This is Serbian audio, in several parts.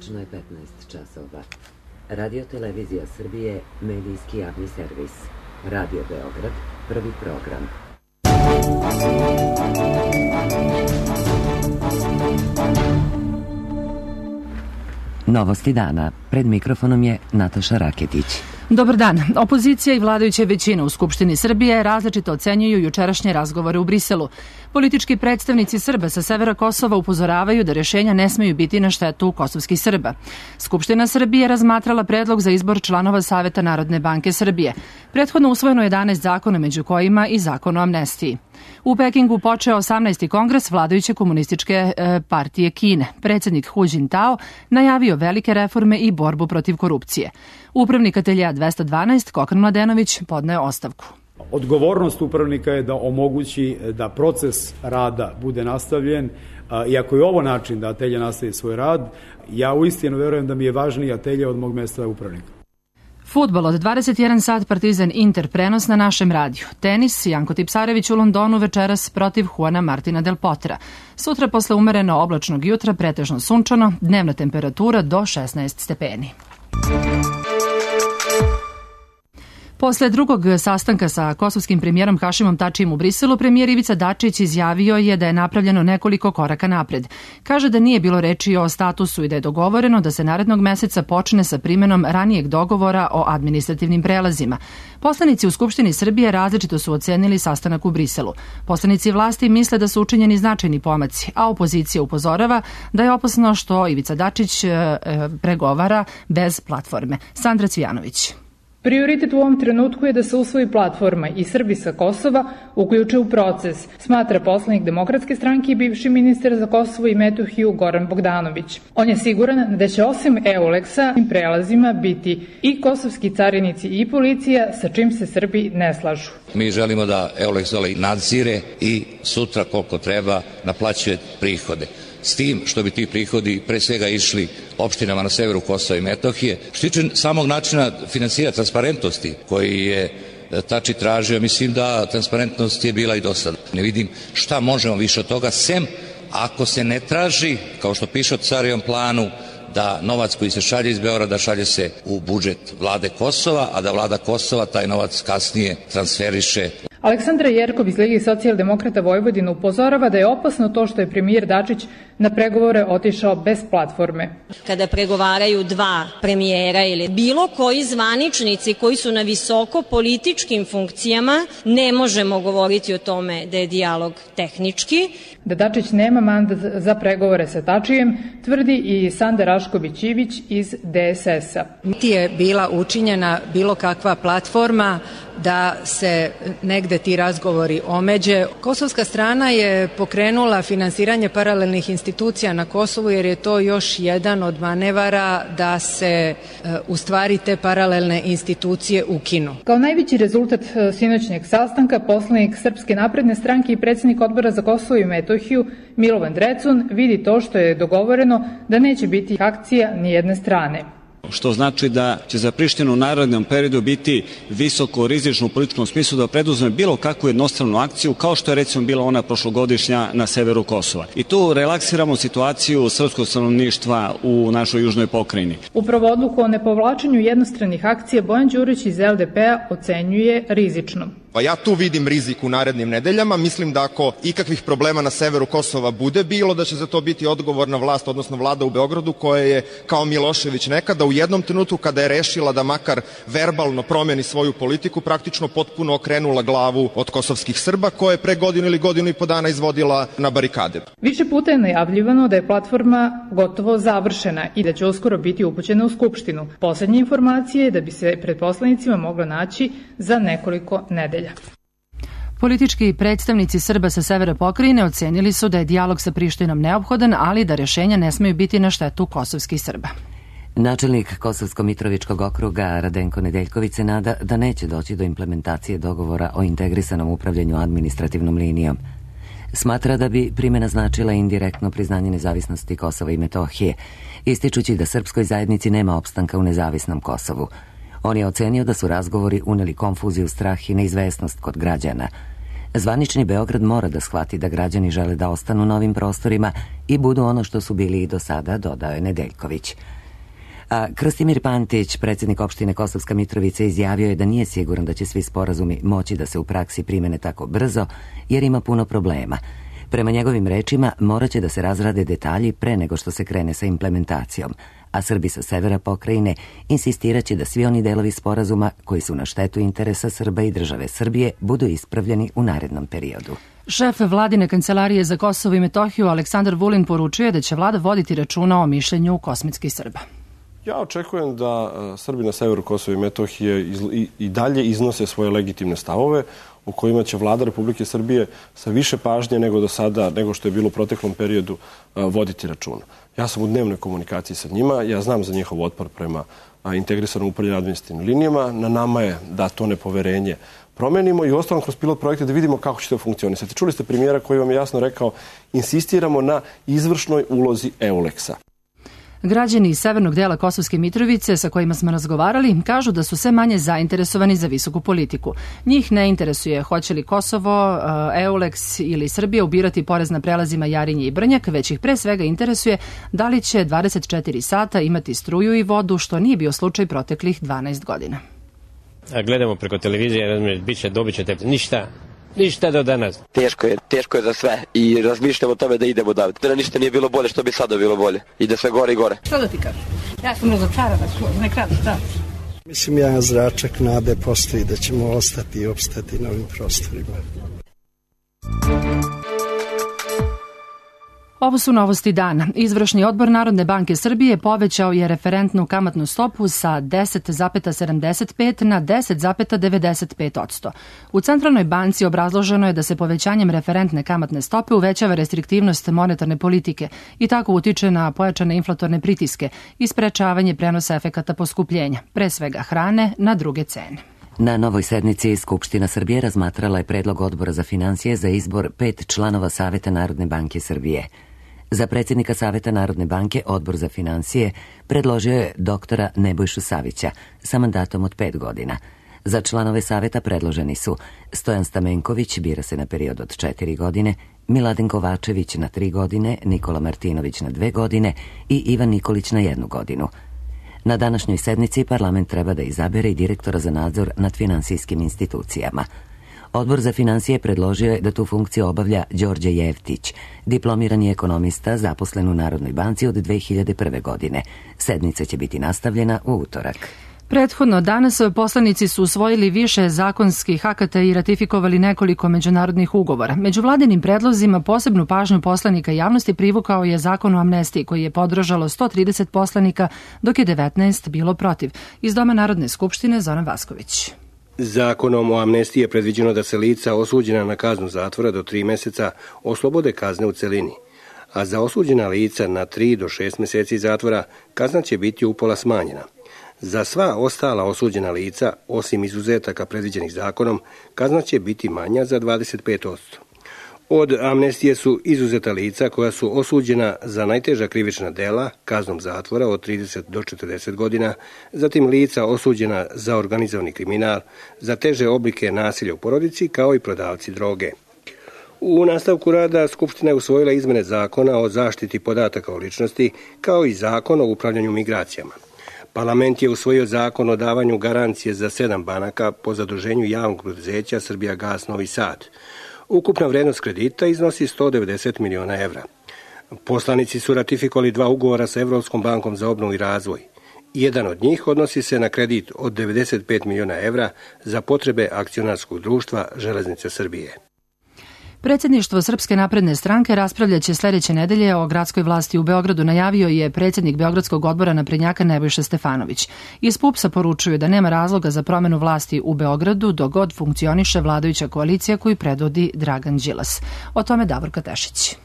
Tačno je 15 časova. Radio Televizija Srbije, medijski javni servis. Radio Beograd, prvi program. Novosti dana. Pred mikrofonom je Nataša Raketić. Dobar dan. Opozicija i vladajuća većina u Skupštini Srbije različito ocenjuju jučerašnje razgovore u Briselu. Politički predstavnici Srba sa severa Kosova upozoravaju da rješenja ne smeju biti na štetu kosovskih Srba. Skupština Srbije razmatrala predlog za izbor članova Saveta Narodne banke Srbije. Prethodno usvojeno 11 zakona, među kojima i zakon o amnestiji. U Pekingu počeo 18. kongres vladajuće komunističke partije Kine. Predsjednik Hu Jintao najavio velike reforme i borbu protiv korupcije. Upravnik ateljea 212, Kokan Mladenović, podneo ostavku. Odgovornost upravnika je da omogući da proces rada bude nastavljen. Iako je ovo način da atelje nastavi svoj rad, ja uistinu verujem da mi je važniji atelje od mog mjesta upravnika. Fudbal od 21 sat Partizan Inter prenos na našem radiju. Tenis Janko Tipsarević u Londonu večeras protiv Juana Martina del Potra. Sutra posle umereno oblačnog jutra pretežno sunčano, dnevna temperatura do 16 stepeni. Posle drugog sastanka sa kosovskim premijerom Hašimom Tačijem u Briselu, premijer Ivica Dačić izjavio je da je napravljeno nekoliko koraka napred. Kaže da nije bilo reči o statusu i da je dogovoreno da se narednog meseca počne sa primenom ranijeg dogovora o administrativnim prelazima. Poslanici u Skupštini Srbije različito su ocenili sastanak u Briselu. Poslanici vlasti misle da su učinjeni značajni pomaci, a opozicija upozorava da je opasno što Ivica Dačić pregovara bez platforme. Sandra Cvijanović. Prioritet u ovom trenutku je da se usvoji platforma i Srbi sa Kosova uključe u proces, smatra poslanik Demokratske stranke i bivši ministar za Kosovo i Metohiju Goran Bogdanović. On je siguran da će osim EULEX-a im prelazima biti i kosovski carinici i policija, sa čim se Srbi ne slažu. Mi želimo da EULEX nadzire i sutra koliko treba naplaćuje prihode. S tim što bi ti prihodi pre svega išli opštinama na severu Kosova i Metohije. Što tiče samog načina finansiranja transparentnosti koji je Tači tražio, mislim da transparentnost je bila i do sada. Ne vidim šta možemo više od toga, sem ako se ne traži, kao što piše o Carijevom planu, da novac koji se šalje iz Beograda šalje se u budžet vlade Kosova, a da vlada Kosova taj novac kasnije transferiše. Aleksandra Jerkov iz Lige socijaldemokrata Vojvodine upozorava da je opasno to što je premijer Dačić na pregovore otišao bez platforme. Kada pregovaraju dva premijera ili bilo koji zvaničnici koji su na visoko političkim funkcijama, ne možemo govoriti o tome da je dijalog tehnički. Da Dačić nema mandat za pregovore sa Tačijem, tvrdi i Sanda Rašković-Ivić iz DSS-a. Niti je bila učinjena bilo kakva platforma da se negde ti razgovori omeđe. Kosovska strana je pokrenula finansiranje paralelnih institucija na Kosovu jer je to još jedan od manevara da se u stvari te paralelne institucije ukinu. Kao najveći rezultat sinoćnjeg sastanka poslanik Srpske napredne stranke i predsjednik Odbora za Kosovo i Metohiju Milovan Drecun vidi to što je dogovoreno da neće biti akcija ni jedne strane. Što znači da će za Prištinu u narednom periodu biti visoko rizično u političkom smislu da preduzme bilo kakvu jednostranu akciju, kao što je recimo bila ona prošlogodišnja na severu Kosova. I tu relaksiramo situaciju srpskog stanovništva u našoj južnoj pokrajini. Upravo odluku o nepovlačenju jednostranih akcija Bojan Đurić iz LDP-a ocenjuje rizičnom. Pa ja tu vidim rizik u narednim nedeljama. Mislim da ako ikakvih problema na severu Kosova bude bilo, da će za to biti odgovorna vlast, odnosno vlada u Beogradu, koja je kao Milošević nekada u jednom trenutku kada je rešila da makar verbalno promeni svoju politiku, praktično potpuno okrenula glavu od kosovskih Srba, koje je pre godinu ili godinu i po dana izvodila na barikade. Više puta je najavljivano da je platforma gotovo završena i da će uskoro biti upućena u Skupštinu. Poslednje informacije je da bi se pred poslanicima mogla naći za nekoliko nedelja. Politički predstavnici Srba sa severa pokrajine ocenili su da je dijalog sa Prištinom neophodan, ali da rješenja ne smeju biti na štetu kosovskih Srba. Načelnik Kosovsko-Mitrovičkog okruga Radenko Nedeljković se nada da neće doći do implementacije dogovora o integrisanom upravljanju administrativnom linijom. Smatra da bi primjena značila indirektno priznanje nezavisnosti Kosova i Metohije, ističući da srpskoj zajednici nema opstanka u nezavisnom Kosovu. On je ocenio da su razgovori uneli konfuziju, strah i neizvesnost kod građana. Zvanični Beograd mora da shvati da građani žele da ostanu na ovim prostorima i budu ono što su bili i do sada, dodao je Nedeljković. A Krastimir Pantić, predsjednik opštine Kosovska Mitrovica, izjavio je da nije siguran da će svi sporazumi moći da se u praksi primene tako brzo, jer ima puno problema. Prema njegovim rečima, morat će da se razrade detalji pre nego što se krene sa implementacijom, a Srbi sa severa pokrajine insistiraće da svi oni delovi sporazuma koji su na štetu interesa Srba i države Srbije budu ispravljeni u narednom periodu. Šef vladine kancelarije za Kosovo i Metohiju Aleksandar Vulin poručuje da će vlada voditi računa o mišljenju kosmetskih Srba. Ja očekujem da Srbi na severu Kosova i Metohije i dalje iznose svoje legitimne stavove u kojima će vlada Republike Srbije sa više pažnje nego do sada, nego što je bilo u proteklom periodu, voditi računa. Ja sam u dnevnoj komunikaciji sa njima, ja znam za njihov otpor prema integrisanom upravljanju administrativnim linijama. Na nama je da to nepoverenje promenimo i ostalom kroz pilot projekte da vidimo kako će to funkcionisati. Čuli ste premijera koji vam je jasno rekao, insistiramo na izvršnoj ulozi EULEX-a. Građani iz severnog dela Kosovske Mitrovice sa kojima smo razgovarali kažu da su sve manje zainteresovani za visoku politiku. Njih ne interesuje hoće li Kosovo, EULEX ili Srbija ubirati porez na prelazima Jarinje i Brnjak, već ih pre svega interesuje da li će 24 sata imati struju i vodu, što nije bio slučaj proteklih 12 godina. Gledamo preko televizije, dobit ćete ništa do danas. Teško je za sve i razmišljamo o tome da idemo davati. Da ništa nije bilo bolje, što bi sada bilo bolje. I da sve gore i gore. Što da ti kažem? Ja sam razočarana, ne kradim, šta? Mislim, jedan zračak nade postoji da ćemo ostati i opstati na ovim prostorima. Ovo su novosti dana. Izvršni odbor Narodne banke Srbije povećao je referentnu kamatnu stopu sa 10,75 na 10,95%. U Centralnoj banci obrazloženo je da se povećanjem referentne kamatne stope uvećava restriktivnost monetarne politike i tako utiče na pojačane inflatorne pritiske i sprečavanje prenosa efekata poskupljenja, pre svega hrane, na druge cene. Na novoj sednici Skupština Srbije razmatrala je predlog Odbora za finansije za izbor 5 članova Saveta Narodne banke Srbije. Za predsjednika Saveta Narodne banke Odbor za finansije predložio je doktora Nebojšu Savića sa mandatom od 5 godina. Za članove Saveta predloženi su Stojan Stamenković, bira se na period od 4 godine, Miladin Kovačević na 3 godine, Nikola Martinović na 2 godine i Ivan Nikolić na 1 godinu. Na današnjoj sednici parlament treba da izabere i direktora za nadzor nad finansijskim institucijama. Odbor za finansije predložio je da tu funkciju obavlja Đorđe Jevtić, diplomirani ekonomista zaposlen u Narodnoj banci od 2001. godine. Sednica će biti nastavljena u utorak. Prethodno danas poslanici su usvojili više zakonskih akata i ratifikovali nekoliko međunarodnih ugovora. Među vladinim predlozima posebnu pažnju poslanika i javnosti privukao je Zakon o amnestiji koji je podržalo 130 poslanika, dok je 19 bilo protiv. Iz Doma Narodne skupštine Zoran Vasković. Zakonom o amnestiji je predviđeno da se lica osuđena na kaznu zatvora do 3 meseca oslobode kazne u celini, a za osuđena lica na 3 do 6 meseci zatvora kazna će biti upola smanjena. Za sva ostala osuđena lica, osim izuzetaka predviđenih zakonom, kazna će biti manja za 25%. Od amnestije su izuzeta lica koja su osuđena za najteža krivična dela kaznom zatvora od 30 do 40 godina, zatim lica osuđena za organizovani kriminal, za teže oblike nasilja u porodici, kao i prodavci droge. U nastavku rada Skupština je usvojila izmene Zakona o zaštiti podataka o ličnosti, kao i Zakon o upravljanju migracijama. Parlament je usvojio zakon o davanju garancije za 7 banaka po zaduženju javnog preduzeća Srbijagas Novi Sad. Ukupna vrednost kredita iznosi 190 miliona evra. Poslanici su ratifikovali 2 ugovora sa Evropskom bankom za obnovu i razvoj. Jedan od njih odnosi se na kredit od 95 miliona evra za potrebe akcionarskog društva Železnice Srbije. Predsjedništvo Srpske napredne stranke raspravljaće sledeće nedelje o gradskoj vlasti u Beogradu, najavio je predsjednik Beogradskog odbora naprednjaka Nebojša Stefanović. Iz PUPS-a poručuju da nema razloga za promenu vlasti u Beogradu dok god funkcioniše vladajuća koalicija koju predvodi Dragan Đilas. O tome Davorka Tešić.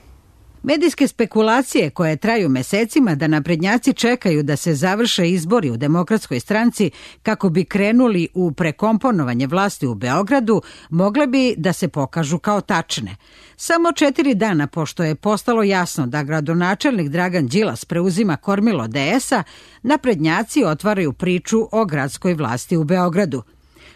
Medijske spekulacije koje traju mesecima da naprednjaci čekaju da se završe izbori u Demokratskoj stranci kako bi krenuli u prekomponovanje vlasti u Beogradu mogle bi da se pokažu kao tačne. Samo 4 dana pošto je postalo jasno da gradonačelnik Dragan Đilas preuzima kormilo DS-a, naprednjaci otvaraju priču o gradskoj vlasti u Beogradu.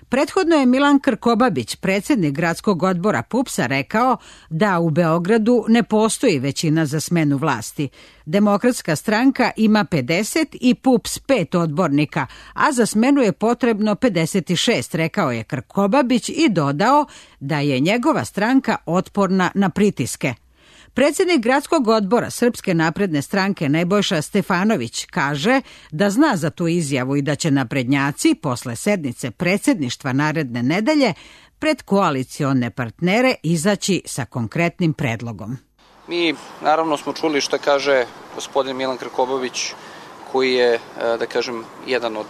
Prethodno je Milan Krkobabić, predsjednik gradskog odbora PUPS-a, rekao da u Beogradu ne postoji većina za smenu vlasti. Demokratska stranka ima 50 i PUPS 5 odbornika, a za smenu je potrebno 56, rekao je Krkobabić i dodao da je njegova stranka otporna na pritiske. Predsjednik gradskog odbora Srpske napredne stranke Nebojša Stefanović kaže da zna za tu izjavu i da će naprednjaci posle sednice predsjedništva naredne nedelje pred koalicione partnere izaći sa konkretnim predlogom. Mi naravno smo čuli šta kaže gospodin Milan Krkobabić, koji je, da kažem, jedan od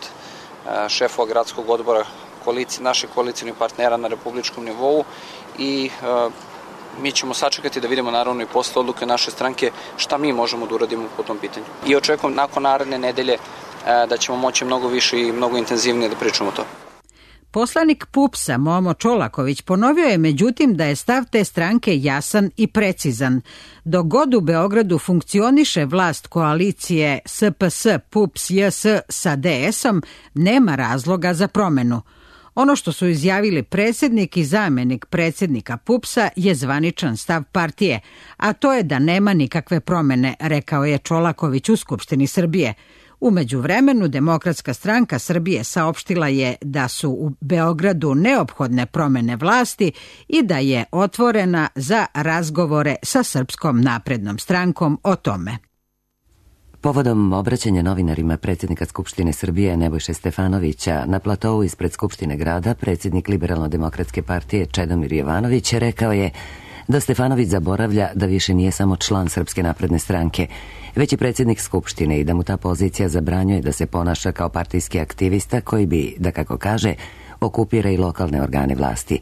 šefova gradskog odbora naših koalicijnih partnera na republičkom nivou i mi ćemo sačekati da vidimo naravno i posle odluke naše stranke šta mi možemo da uradimo po tom pitanju. I očekujem nakon naredne nedelje da ćemo moći mnogo više i mnogo intenzivnije da pričamo o to. Poslanik PUPS-a Momo Čolaković ponovio je međutim da je stav te stranke jasan i precizan. Dok god u Beogradu funkcioniše vlast koalicije SPS, PUPS, JS sa DS-om, nema razloga za promenu. Ono što su izjavili predsjednik i zamjenik predsjednika PUPS-a je zvaničan stav partije, a to je da nema nikakve promene, rekao je Čolaković u Skupštini Srbije. U međuvremenu Demokratska stranka Srbije saopštila je da su u Beogradu neophodne promene vlasti i da je otvorena za razgovore sa Srpskom naprednom strankom o tome. Povodom obraćanja novinarima predsjednika Skupštine Srbije Nebojše Stefanovića na platou ispred Skupštine grada, predsjednik Liberalno-demokratske partije Čedomir Jovanović rekao je da Stefanović zaboravlja da više nije samo član Srpske napredne stranke, već i predsjednik Skupštine i da mu ta pozicija zabranjuje da se ponaša kao partijski aktivista koji bi, da kako kaže, okupira i lokalne organe vlasti.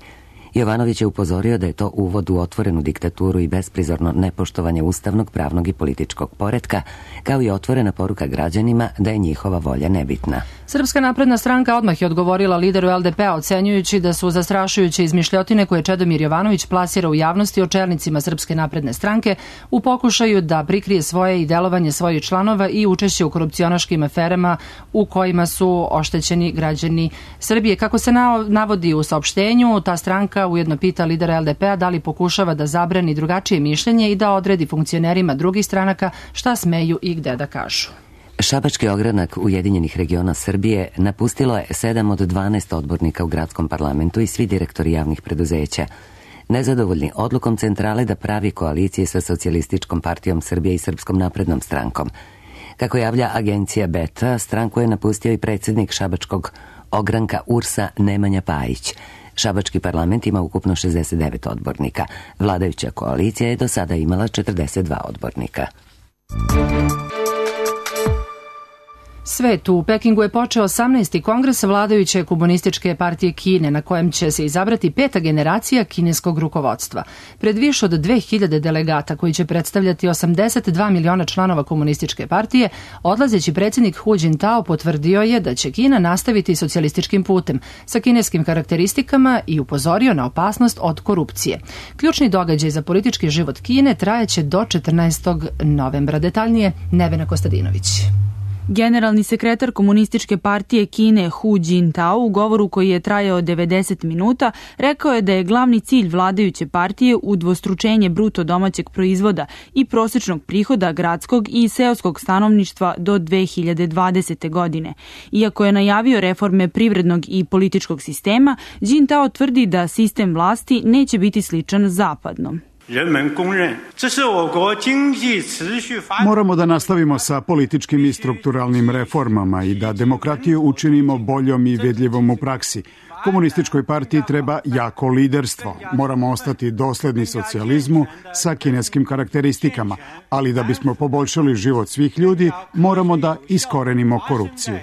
Jovanović je upozorio da je to uvod u otvorenu diktaturu i besprizorno nepoštovanje ustavnog, pravnog i političkog poretka, kao i otvorena poruka građanima da je njihova volja nebitna. Srpska napredna stranka odmah je odgovorila lideru LDP-a ocenjujući da su zastrašujuće izmišljotine koje Čedomir Jovanović plasira u javnosti o čelnicima Srpske napredne stranke u pokušaju da prikrije svoje i delovanje svojih članova i učešće u korupcionaškim aferama u kojima su oštećeni građani Srbije. Kako se navodi u saopštenju, ta stranka ujedno pita lidera LDP-a da li pokušava da zabrani drugačije mišljenje i da odredi funkcionerima drugih stranaka šta smeju i gde da kažu. Šabački ogranak Ujedinjenih regiona Srbije napustilo je 7 od 12 odbornika u gradskom parlamentu i svi direktori javnih preduzeća. Nezadovoljni odlukom centrale da pravi koalicije sa Socijalističkom partijom Srbije i Srpskom naprednom strankom. Kako javlja agencija Beta, stranku je napustio i predsjednik Šabačkog ogranka URS-a Nemanja Pajić. Šabački parlament ima ukupno 69 odbornika. Vladajuća koalicija je do sada imala 42 odbornika. Svet u Pekingu je počeo 18. kongres vladajuće komunističke partije Kine, na kojem će se izabrati 5. generacija kineskog rukovodstva. Pred više od 2000 delegata koji će predstavljati 82 miliona članova komunističke partije, odlazeći predsjednik Hu Jintao potvrdio je da će Kina nastaviti socijalističkim putem sa kineskim karakteristikama i upozorio na opasnost od korupcije. Ključni događaj za politički život Kine trajeće do 14. novembra. Detaljnije Nevena Kostadinović. Generalni sekretar komunističke partije Kine Hu Jintao u govoru koji je trajao 90 minuta rekao je da je glavni cilj vladajuće partije udvostručenje bruto domaćeg proizvoda i prosječnog prihoda gradskog i seoskog stanovništva do 2020. godine. Iako je najavio reforme privrednog i političkog sistema, Jintao tvrdi da sistem vlasti neće biti sličan zapadnom. Moramo da nastavimo sa političkim i strukturalnim reformama i da demokratiju učinimo boljom i vidljivom u praksi. Komunističkoj partiji treba jako liderstvo. Moramo ostati dosledni socijalizmu sa kineskim karakteristikama, ali da bismo poboljšali život svih ljudi, moramo da iskorenimo korupciju.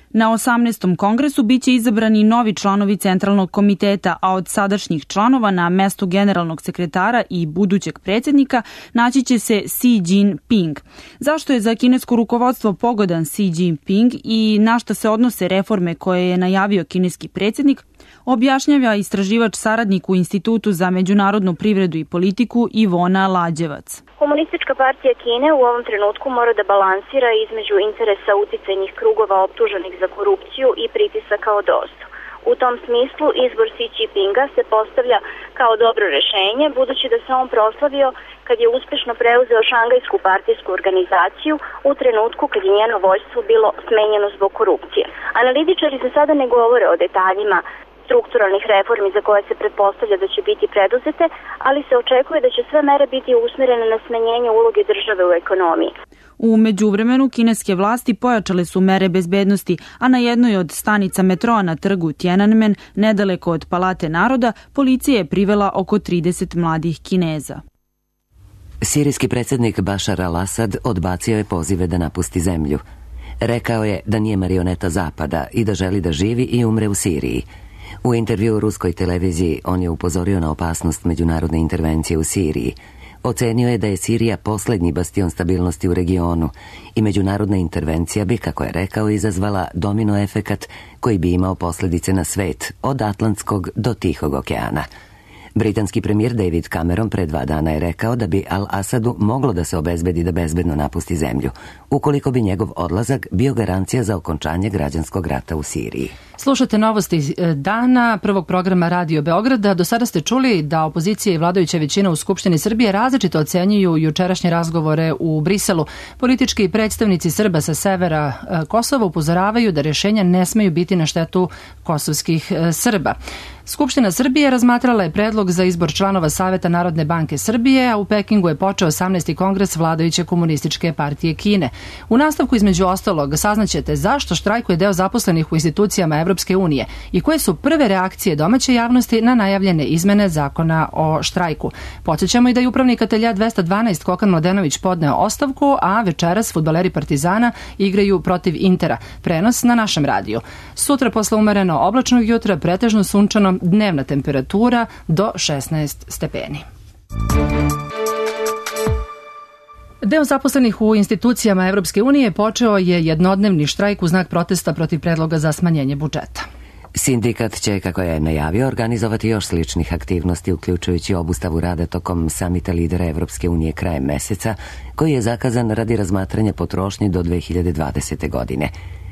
Na 18. kongresu biće izabrani novi članovi Centralnog komiteta, a od sadašnjih članova na mesto generalnog sekretara i budućeg predsjednika naći će se Xi Jinping. Zašto je za kinesko rukovodstvo pogodan Xi Jinping i na šta se odnose reforme koje je najavio kineski predsjednik? objašnjava istraživač saradnik u Institutu za međunarodnu privredu i politiku Ivona Lađevac. Komunistička partija Kine u ovom trenutku mora da balansira između interesa uticajnih krugova optuženih za korupciju i pritisaka od ozdu. U tom smislu izbor Xi Jinpinga se postavlja kao dobro rešenje, budući da se on proslavio kad je uspešno preuzeo Šangajsku partijsku organizaciju u trenutku kad je njeno vođstvo bilo smenjeno zbog korupcije. Analitičari za sada ne govore o detaljima strukturalnih reformi za koje se pretpostavlja da će biti preduzete, ali se očekuje da će sve mere biti usmerene na smanjenje uloge države u ekonomiji. U međuvremenu kineske vlasti pojačale su mere bezbednosti, a na jednoj od stanica metroa na trgu Tiananmen, nedaleko od Palate naroda, policija je privela oko 30 mladih Kineza. Sirijski predsjednik Bašar al-Asad odbacio je pozive da napusti zemlju. Rekao je da nije marioneta Zapada i da želi da živi i umre u Siriji. U intervju u ruskoj televiziji on je upozorio na opasnost međunarodne intervencije u Siriji. Ocenio je da je Sirija posljednji bastion stabilnosti u regionu i međunarodna intervencija bi, kako je rekao, izazvala domino efekat koji bi imao posljedice na svet, od Atlantskog do Tihog okeana. Britanski premijer David Cameron pre 2 dana je rekao da bi Al-Asadu moglo da se obezbedi da bezbedno napusti zemlju, ukoliko bi njegov odlazak bio garancija za okončanje građanskog rata u Siriji. Slušate novosti dana prvog programa Radio Beograda. Do sada ste čuli da opozicija i vladajuća većina u Skupštini Srbije različito ocenjuju jučerašnje razgovore u Briselu. Politički predstavnici Srba sa severa Kosova upozoravaju da rješenja ne smeju biti na štetu kosovskih Srba. Skupština Srbije razmatrala je predlog za izbor članova Saveta Narodne banke Srbije, a u Pekingu je počeo 18. kongres vladajuće komunističke partije Kine. U nastavku između ostalog saznaćete zašto štrajkuje deo zaposlenih u institucijama Evropske unije i koje su prve reakcije domaće javnosti na najavljene izmene zakona o štrajku. Podsjećamo i da je upravnik atelja 212 Kokan Mladenović podneo ostavku, a večeras fudbaleri Partizana igraju protiv Intera. Prenos na našem radiju. Sutra posle umereno oblačnog jutra pretežno sunčano, dnevna temperatura do 16 stepeni. Deo zaposlenih u institucijama Evropske unije počeo je jednodnevni štrajk u znak protesta protiv predloga za smanjenje budžeta. Sindikat će, kako je najavio, organizovati još sličnih aktivnosti, uključujući obustavu rada tokom samita lidera Evropske unije krajem meseca, koji je zakazan radi razmatranja potrošnje do 2020. godine.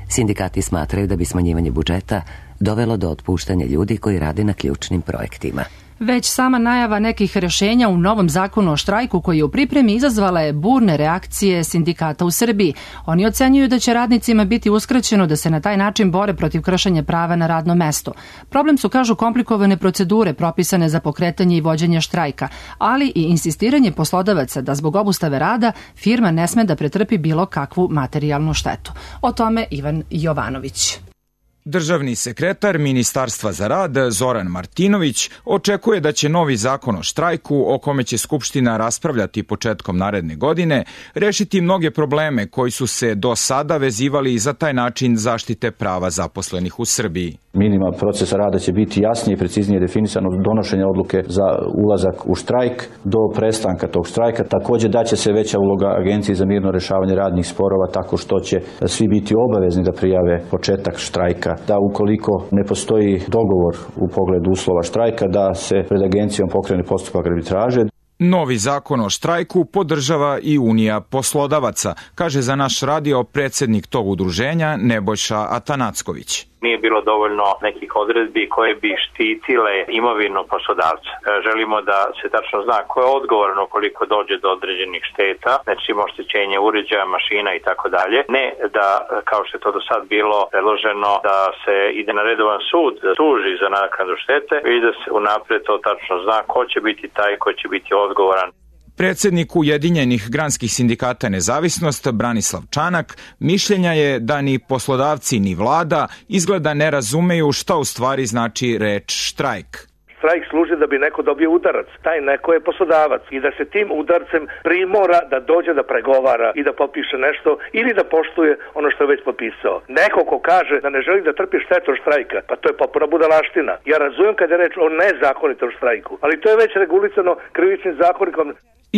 Sindikati smatraju da bi smanjivanje budžeta dovelo do otpuštanja ljudi koji rade na ključnim projektima. Već sama najava nekih rješenja u novom zakonu o štrajku koji je u pripremi izazvala je burne reakcije sindikata u Srbiji. Oni ocenjuju da će radnicima biti uskraćeno da se na taj način bore protiv kršenja prava na radno mesto. Problem su, kažu, komplikovane procedure propisane za pokretanje i vođenje štrajka, ali i insistiranje poslodavaca da zbog obustave rada firma ne sme da pretrpi bilo kakvu materijalnu štetu. O tome Ivan Jovanović. Državni sekretar Ministarstva za rad Zoran Martinović očekuje da će novi zakon o štrajku, o kome će Skupština raspravljati početkom naredne godine, rešiti mnoge probleme koji su se do sada vezivali za taj način zaštite prava zaposlenih u Srbiji. Minimum procesa rada će biti jasnije i preciznije definisan od donošenja odluke za ulazak u štrajk do prestanka tog štrajka. Također daće se veća uloga Agenciji za mirno rešavanje radnih sporova tako što će svi biti obavezni da prijave početak štrajka, da ukoliko ne postoji dogovor u pogledu uslova štrajka, da se pred agencijom pokrene postupak arbitraže. Novi zakon o štrajku podržava i Unija poslodavaca, kaže za naš radio predsjednik tog udruženja Nebojša Atanacković. Nije bilo dovoljno nekih odredbi koje bi štitile imovinu poslodavca. Želimo da se tačno zna ko je odgovoran ukoliko dođe do određenih šteta, znači oštećenje uređaja, mašina i tako dalje. Ne da, kao što je to do sad bilo predloženo, da se ide na redovan sud, tuži za naknadu štete, već da se unapred to tačno zna ko će biti taj ko će biti odgovoran. Predsjednik Ujedinjenih granskih sindikata Nezavisnost Branislav Čanak mišljenja je da ni poslodavci ni vlada izgleda ne razumeju šta u stvari znači reč štrajk. Štrajk služi da bi neko dobio udarac. Taj neko je poslodavac i da se tim udarcem primora da dođe da pregovara i da potpiše nešto ili da poštuje ono što je već potpisao. Neko ko kaže da ne želi da trpi štetu od štrajka, pa to je potpuna budalaština. Ja razumem kad je reč o nezakonitom štrajku, ali to je već regulisano krivičnim zakonikom.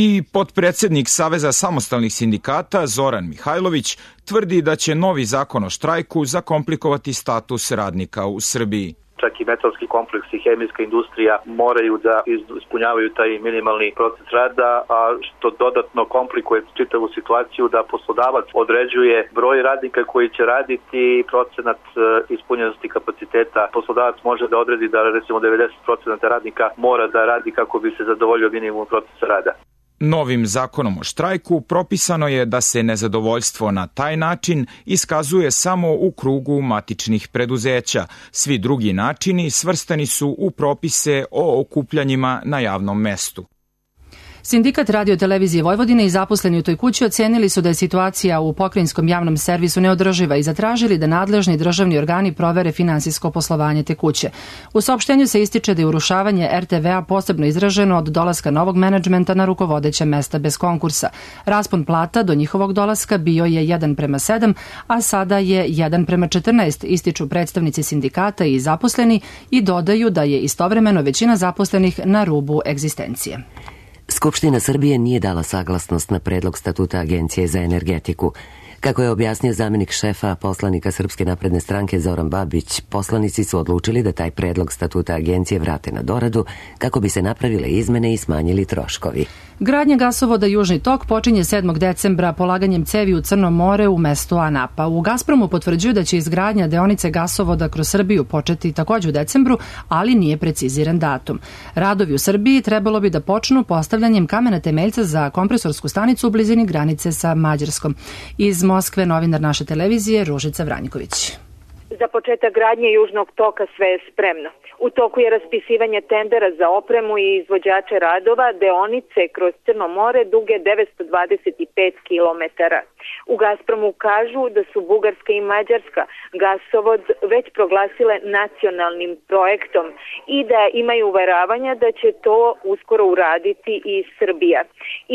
I potpredsjednik Saveza samostalnih sindikata Zoran Mihajlović tvrdi da će novi zakon o štrajku zakomplikovati status radnika u Srbiji. čak i metalski kompleks i hemijska industrija moraju da ispunjavaju taj minimalni proces rada, a što dodatno komplikuje čitavu situaciju da poslodavac određuje broj radnika koji će raditi i procenat ispunjenosti kapaciteta. Poslodavac može da odredi da recimo 90% radnika mora da radi kako bi se zadovoljio minimum procesa rada. Novim zakonom o štrajku propisano je da se nezadovoljstvo na taj način iskazuje samo u krugu matičnih preduzeća. Svi drugi načini svrstani su u propise o okupljanjima na javnom mestu. Sindikat Radio-televizije Vojvodine i zaposleni u toj kući ocenili su da je situacija u pokrajinskom javnom servisu neodrživa i zatražili da nadležni državni organi provere finansijsko poslovanje te kuće. U saopštenju se ističe da je urušavanje RTV-a posebno izraženo od dolaska novog menadžmenta na rukovodeća mesta bez konkursa. Raspon plata do njihovog dolaska bio je 1:7, a sada je 1:14, ističu predstavnici sindikata i zaposleni i dodaju da je istovremeno većina zaposlenih na rubu egzistencije. Skupština Srbije nije dala saglasnost na predlog statuta Agencije za energetiku. Kako je objasnio zamenik šefa poslanika Srpske napredne stranke Zoran Babić, poslanici su odlučili da taj predlog statuta agencije vrate na doradu kako bi se napravile izmene i smanjili troškovi. Gradnja gasovoda Južni tok počinje 7. decembra polaganjem cevi u Crno more u mestu Anapa. U Gazpromu potvrđuju da će izgradnja deonice gasovoda kroz Srbiju početi također u decembru, ali nije preciziran datum. Radovi u Srbiji trebalo bi da počnu postavljanjem kamena temeljca za kompresorsku stanicu u blizini granice sa Mađarskom. Iz Moskve novinar naše televizije Ružica Vranjković. Za početak gradnje Južnog toka sve je spremno. U toku je raspisivanje tendera za opremu i izvođače radova deonice kroz Crno more duge 925 kilometara. U Gazpromu kažu da su Bugarska i Mađarska gasovod već proglasile nacionalnim projektom i da imaju uveravanja da će to uskoro uraditi i Srbija.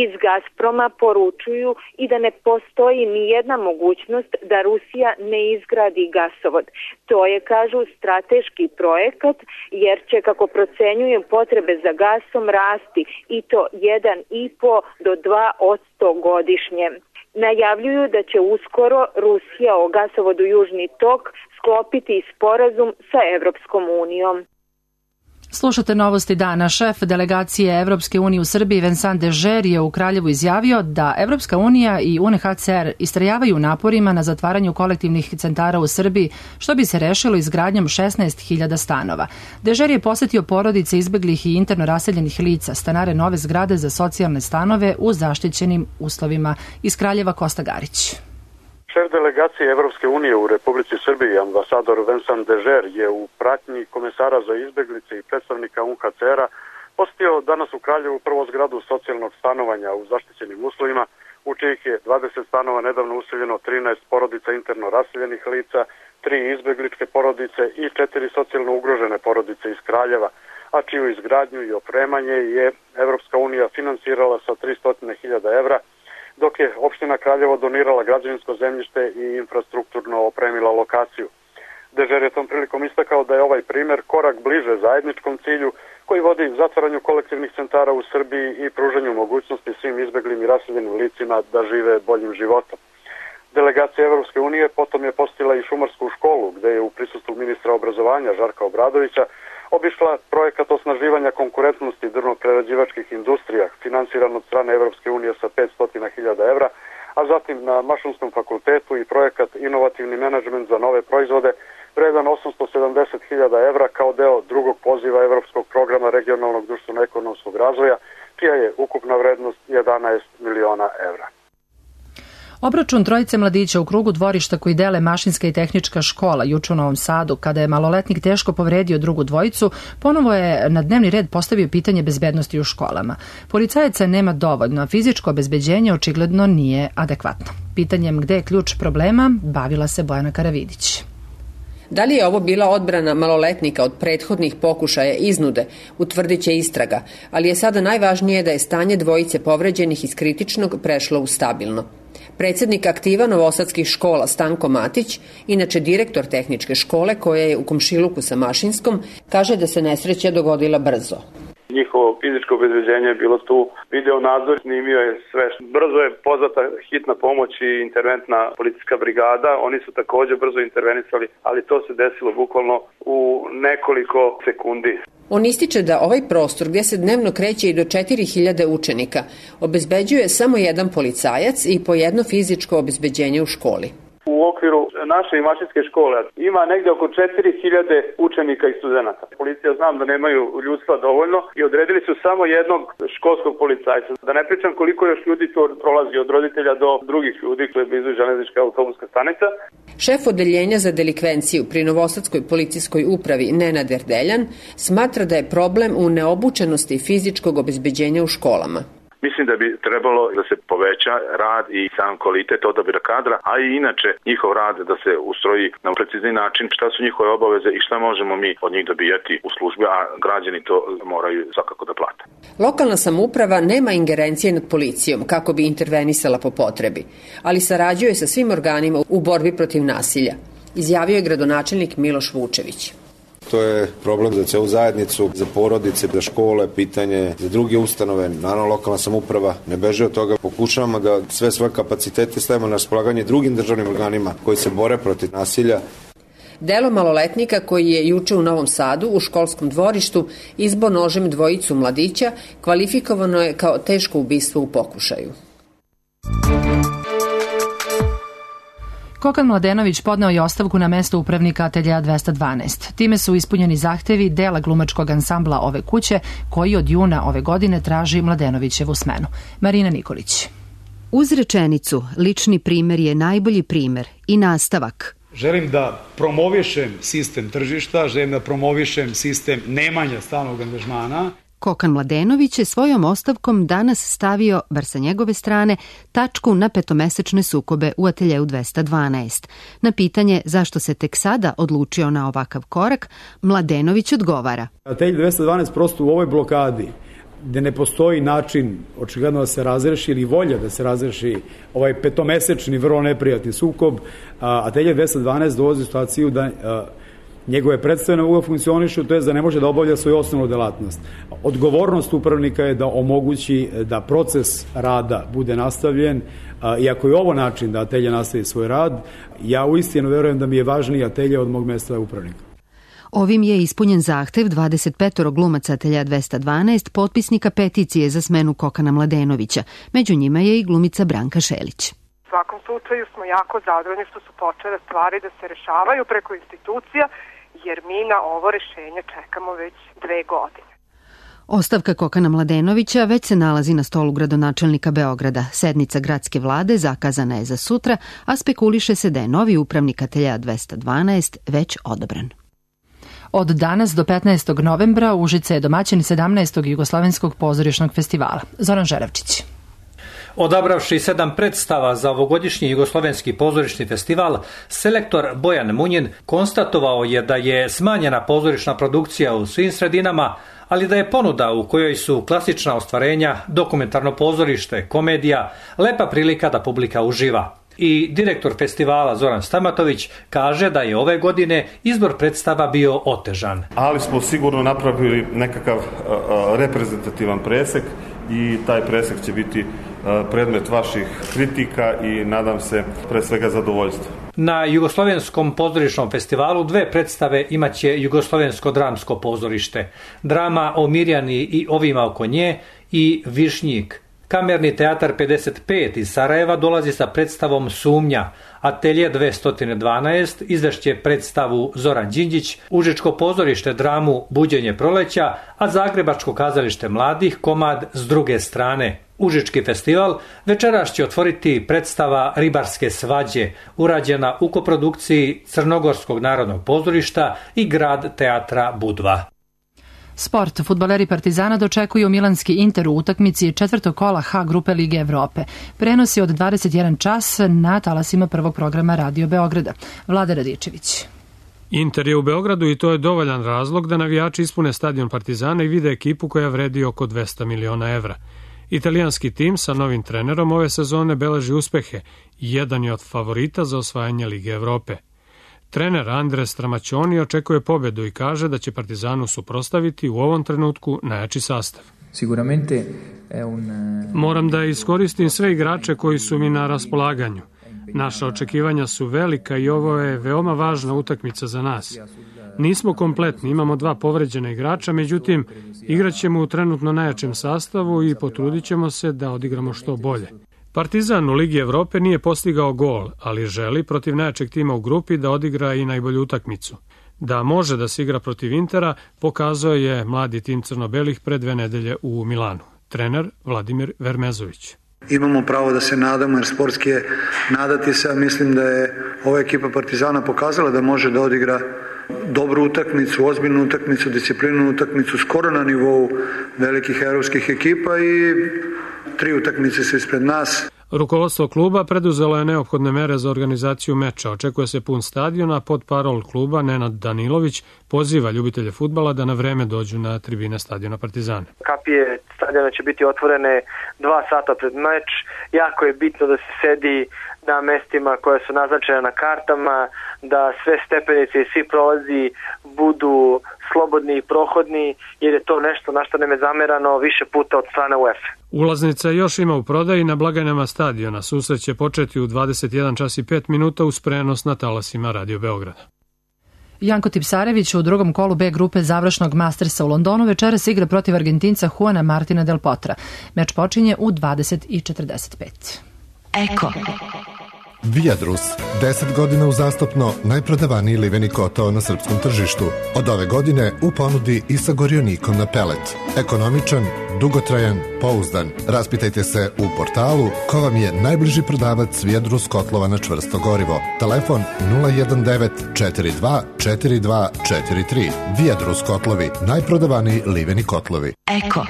Iz Gazproma poručuju i da ne postoji ni jedna mogućnost da Rusija ne izgradi gasovod. To je, kažu, strateški projekat jer će, kako procenjuju, potrebe za gasom rasti i to 1,5 do 2% godišnje. Najavljuju da će uskoro Rusija o gasovodu Južni tok sklopiti sporazum sa Evropskom unijom. Slušate novosti dana. Šef delegacije Evropske unije u Srbiji Vincent Dežer je u Kraljevu izjavio da Evropska unija i UNHCR istrajavaju naporima na zatvaranju kolektivnih centara u Srbiji, što bi se rešilo izgradnjom 16.000 stanova. Dežer je posetio porodice izbeglih i interno raseljenih lica, stanare nove zgrade za socijalne stanove u zaštićenim uslovima. Iz Kraljeva Kosta Garić. Šef delegacije Evropske unije u Republici Srbiji, ambasador Vincent Dežer, je u pratnji komesara za izbeglice i predstavnika UNHCR-a posjetio danas u Kraljevu prvo zgradu socijalnog stanovanja u zaštićenim uslovima, u čijih je 20 stanova nedavno useljeno 13 porodica interno raseljenih lica, 3 izbegličke porodice i 4 socijalno ugrožene porodice iz Kraljeva, a čiju izgradnju i opremanje je Evropska unija finansirala sa 300.000 evra, dok je opština Kraljevo donirala građevinsko zemljište i infrastrukturno opremila lokaciju. Dežer je tom prilikom istakao da je ovaj primer korak bliže zajedničkom cilju koji vodi zatvaranju kolektivnih centara u Srbiji i pružanju mogućnosti svim izbeglim i raseljenim licima da žive boljim životom. Delegacija Evropske unije potom je posjetila i šumarsku školu, gde je u prisustvu ministra obrazovanja Žarka Obradovića obišla projekat osnaživanja konkurentnosti drvno-prerađivačkih industrija, finansiran od strane Evropske unije sa 500.000 evra, a zatim na Mašinskom fakultetu i projekat Inovativni menadžment za nove proizvode, vredan 870.000 evra kao deo drugog poziva Evropskog programa regionalnog društveno-ekonomskog razvoja, čija je ukupna vrednost 11 miliona evra. Obračun trojice mladića u krugu dvorišta koji dele Mašinska i tehnička škola juče u Novom Sadu, kada je maloletnik teško povredio drugu dvojicu, ponovo je na dnevni red postavio pitanje bezbednosti u školama. Policajaca nema dovoljno, a fizičko obezbeđenje očigledno nije adekvatno. Pitanjem gde je ključ problema bavila se Bojana Karavidić. Da li je ovo bila odbrana maloletnika od prethodnih pokušaja iznude, utvrdit će istraga, ali je sada najvažnije da je stanje dvojice povređenih iz kritičnog prešlo u stabilno. Predsjednik aktiva novosadskih škola Stanko Matić, inače direktor tehničke škole koja je u komšiluku sa Mašinskom, kaže da se nesreća dogodila brzo. Njihovo fizičko obezbeđenje je bilo tu, video nadzor, snimio je sve. Brzo je pozvata hitna pomoć i interventna policijska brigada. Oni su takođe brzo intervenisali, ali to se desilo bukvalno u nekoliko sekundi. On ističe da ovaj prostor, gdje se dnevno kreće i do 4000 učenika, obezbeđuje samo jedan policajac i po jedno fizičko obezbeđenje u školi. U okviru naše i mašinske škole ima negde oko 4000 učenika i studenata. Policija znam da nemaju ljudstva dovoljno i odredili su samo jednog školskog policajca. Da ne pričam koliko još ljudi to prolazi od roditelja do drugih ljudi koji je blizu železnička autobuska stanica. Šef odeljenja za delikvenciju pri Novosadskoj policijskoj upravi Nenad Erdeljan smatra da je problem u neobučenosti fizičkog obezbeđenja u školama. Mislim da bi trebalo da se poveća rad i sam kvalitet odabira kadra, a i inače njihov rad da se ustroji na precizni način šta su njihove obaveze i šta možemo mi od njih dobijati u službi, a građani to moraju svakako da plate. Lokalna samouprava nema ingerencije nad policijom kako bi intervenisala po potrebi, ali sarađuje sa svim organima u borbi protiv nasilja, izjavio je gradonačelnik Miloš Vučević. To je problem za celu zajednicu, za porodice, za škole, pitanje za druge ustanove. Naravno, lokalna samouprava ne beže od toga. Pokušavamo da sve svoje kapacitete stavimo na raspolaganje drugim državnim organima koji se bore protiv nasilja. Delo maloletnika koji je juče u Novom Sadu u školskom dvorištu izbo nožem dvojicu mladića kvalifikovano je kao teško ubistvo u pokušaju. Kokan Mladenović podneo je ostavku na mesto upravnika ateljea 212. Time su ispunjeni zahtevi dela glumačkog ansambla ove kuće, koji od juna ove godine traži Mladenovićevu smenu. Marina Nikolić. Uz rečenicu, lični primer je najbolji primer i nastavak. Želim da promovišem sistem tržišta, želim da promovišem sistem nemanja stalnog angažmana. Kokan Mladenović je svojom ostavkom danas stavio, bar sa njegove strane, tačku na petomesečne sukobe u ateljeu 212. Na pitanje zašto se tek sada odlučio na ovakav korak, Mladenović odgovara. Atelj 212 prosto u ovoj blokadi, gde ne postoji način očigledno da se razreši ili volja da se razreši ovaj petomesečni vrlo neprijatni sukob, atelje 212 dolazi u situaciju da njegove predstavne uloge funkcionišu, to je da ne može da obavlja svoju osnovnu delatnost. Odgovornost upravnika je da omogući da proces rada bude nastavljen, i ako je ovo način da atelje nastavi svoj rad, ja uistinu verujem da mi je važniji atelje od mog mesta upravnika. Ovim je ispunjen zahtev 25 glumaca atelja 212, potpisnika peticije za smenu Kokana Mladenovića. Među njima je i glumica Branka Šelić. U svakom slučaju smo jako zadovoljni što su počele stvari da se rešavaju preko institucija, jer mi na ovo rešenje čekamo već 2 godine. Ostavka Kokana Mladenovića već se nalazi na stolu gradonačelnika Beograda. Sednica gradske vlade zakazana je za sutra, a spekuliše se da je novi upravnik atelja 212 već odobren. Od danas do 15. novembra Užice je domaćin 17. Jugoslovenskog pozorišnog festivala. Zoran Žeravčić. Odabravši 7 predstava za ovogodišnji Jugoslovenski pozorišni festival, selektor Bojan Munjin konstatovao je da je smanjena pozorišna produkcija u svim sredinama, ali da je ponuda u kojoj su klasična ostvarenja, dokumentarno pozorište, komedija, lepa prilika da publika uživa. I direktor festivala Zoran Stamatović kaže da je ove godine izbor predstava bio otežan. Ali smo sigurno napravili nekakav reprezentativan presek i taj presek će biti predmet vaših kritika i nadam se pre svega zadovoljstva. Na Jugoslovenskom pozorišnom festivalu 2 predstave imaće Jugoslovensko dramsko pozorište, drama o Mirjani i ovima oko nje i Višnjik. Kamerni teatar 55 iz Sarajeva dolazi sa predstavom Sumnja, atelje 212 izvešće predstavu Zoran Đinđić, Užičko pozorište dramu Buđenje proleća, a Zagrebačko kazalište mladih komad S druge strane. Užički festival večeras će otvoriti predstava Ribarske svađe, urađena u koprodukciji Crnogorskog narodnog pozorišta i Grad teatra Budva. Sport. Fudbaleri Partizana dočekuju milanski Inter u utakmici 4. kola H grupe Lige Evrope. Prenosi od 21 čas na talasima prvog programa Radio Beograda. Vlada Radičević. Inter je u Beogradu i to je dovoljan razlog da navijači ispune stadion Partizana i vide ekipu koja vredi oko 200 miliona evra. Italijanski tim sa novim trenerom ove sezone beleži uspehe i jedan je od favorita za osvajanje Lige Evrope. Trener Andres Tramaćoni očekuje pobedu i kaže da će Partizanu suprotstaviti u ovom trenutku najjači sastav. Moram da iskoristim sve igrače koji su mi na raspolaganju. Naša očekivanja su velika i ovo je veoma važna utakmica za nas. Nismo kompletni, imamo 2 povređena igrača, međutim, igraćemo u trenutno najjačem sastavu i potrudit ćemo se da odigramo što bolje. Partizan u Ligi Evrope nije postigao gol, ali želi protiv najjačeg tima u grupi da odigra i najbolju utakmicu. Da može da se igra protiv Intera, pokazao je mladi tim crno-belih pre 2 nedelje u Milanu. Trener Vladimir Vermezović. Imamo pravo da se nadamo, jer sportski je nadati se, a mislim da je ova ekipa Partizana pokazala da može da odigra dobru utakmicu, ozbiljnu utakmicu, disciplinnu utakmicu, skoro na nivou velikih evropskih ekipa i 3 utakmice su ispred nas. Rukovodstvo kluba preduzelo je neophodne mere za organizaciju meča. Očekuje se pun stadion, a podparol kluba Nenad Danilović poziva ljubitelje fudbala da na vreme dođu na tribine stadiona Partizana. Kapije stadiona će biti otvorene 2 sata pred meč. Jako je bitno da se sedi na mestima koja su naznačena na kartama, da sve stepenice i svi prolazi budu slobodni i prohodni, jer je to nešto na što nam je zamerano više puta od strane UEFA. Ulaznica još ima u prodaji na blagajnama stadiona. Susret će početi u 21 čas i 5 minuta uz prenos na talasima Radio Beograda. Janko Tipsarević u drugom kolu B grupe završnog Mastersa u Londonu večeras igra protiv Argentinca Juana Martina del Potra. Meč počinje u 20:45. Eko. Viadrus, 10 godina uzastopno najprodavaniji liveni kotao na srpskom tržištu. Od ove godine u ponudi i sa gorionikom na pelet. Ekonomičan, dugotrajan, pouzdan. Raspitajte se u portalu ko vam je najbliži prodavac Viadrus kotlova na čvrsto gorivo. Telefon 019 42 42 43. Viadrus kotlovi, najprodavaniji liveni kotlovi. Eko.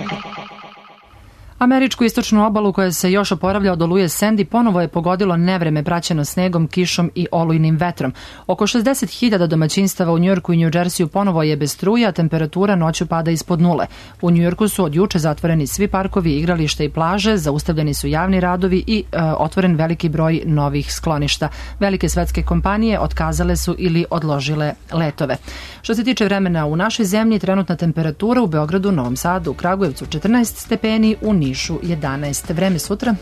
Američku istočnu obalu koja se još oporavlja od oluje Sandy ponovo je pogodilo nevreme praćeno snegom, kišom i olujnim vetrom. Oko 60.000 domaćinstava u Njujorku i Njudžersiju ponovo je bez struje, a temperatura noću pada ispod nule. U Njujorku su od juče zatvoreni svi parkovi, igrališta i plaže, zaustavljeni su javni radovi i otvoren veliki broj novih skloništa. Velike svetske kompanije otkazale su ili odložile letove. Što se tiče vremena u našoj zemlji, trenutna temperatura u Beogradu, Novom Sadu, u Kragujevcu 14 stepeni, u Nišu 11. Vreme sutra?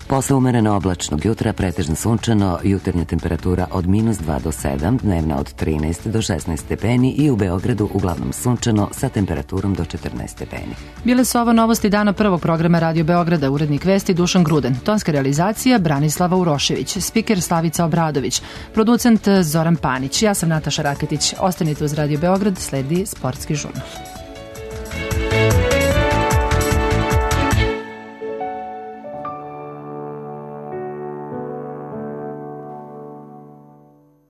Posle umereno oblačnog jutra, pretežno sunčano, jutarnja temperatura od -2 do 7, dnevna od 13 do 16 stepeni i u Beogradu uglavnom sunčano sa temperaturom do 14 stepeni. Bile su ovo novosti dana prvog programa Radio Beograda, urednik vesti Dušan Gruden, tonska realizacija Branislava Urošević, spiker Slavica Obradović, producent Zoran Panić, ja sam Nataša Raketić. Ostanite uz Radio Beograd, sledi sportski žurnal.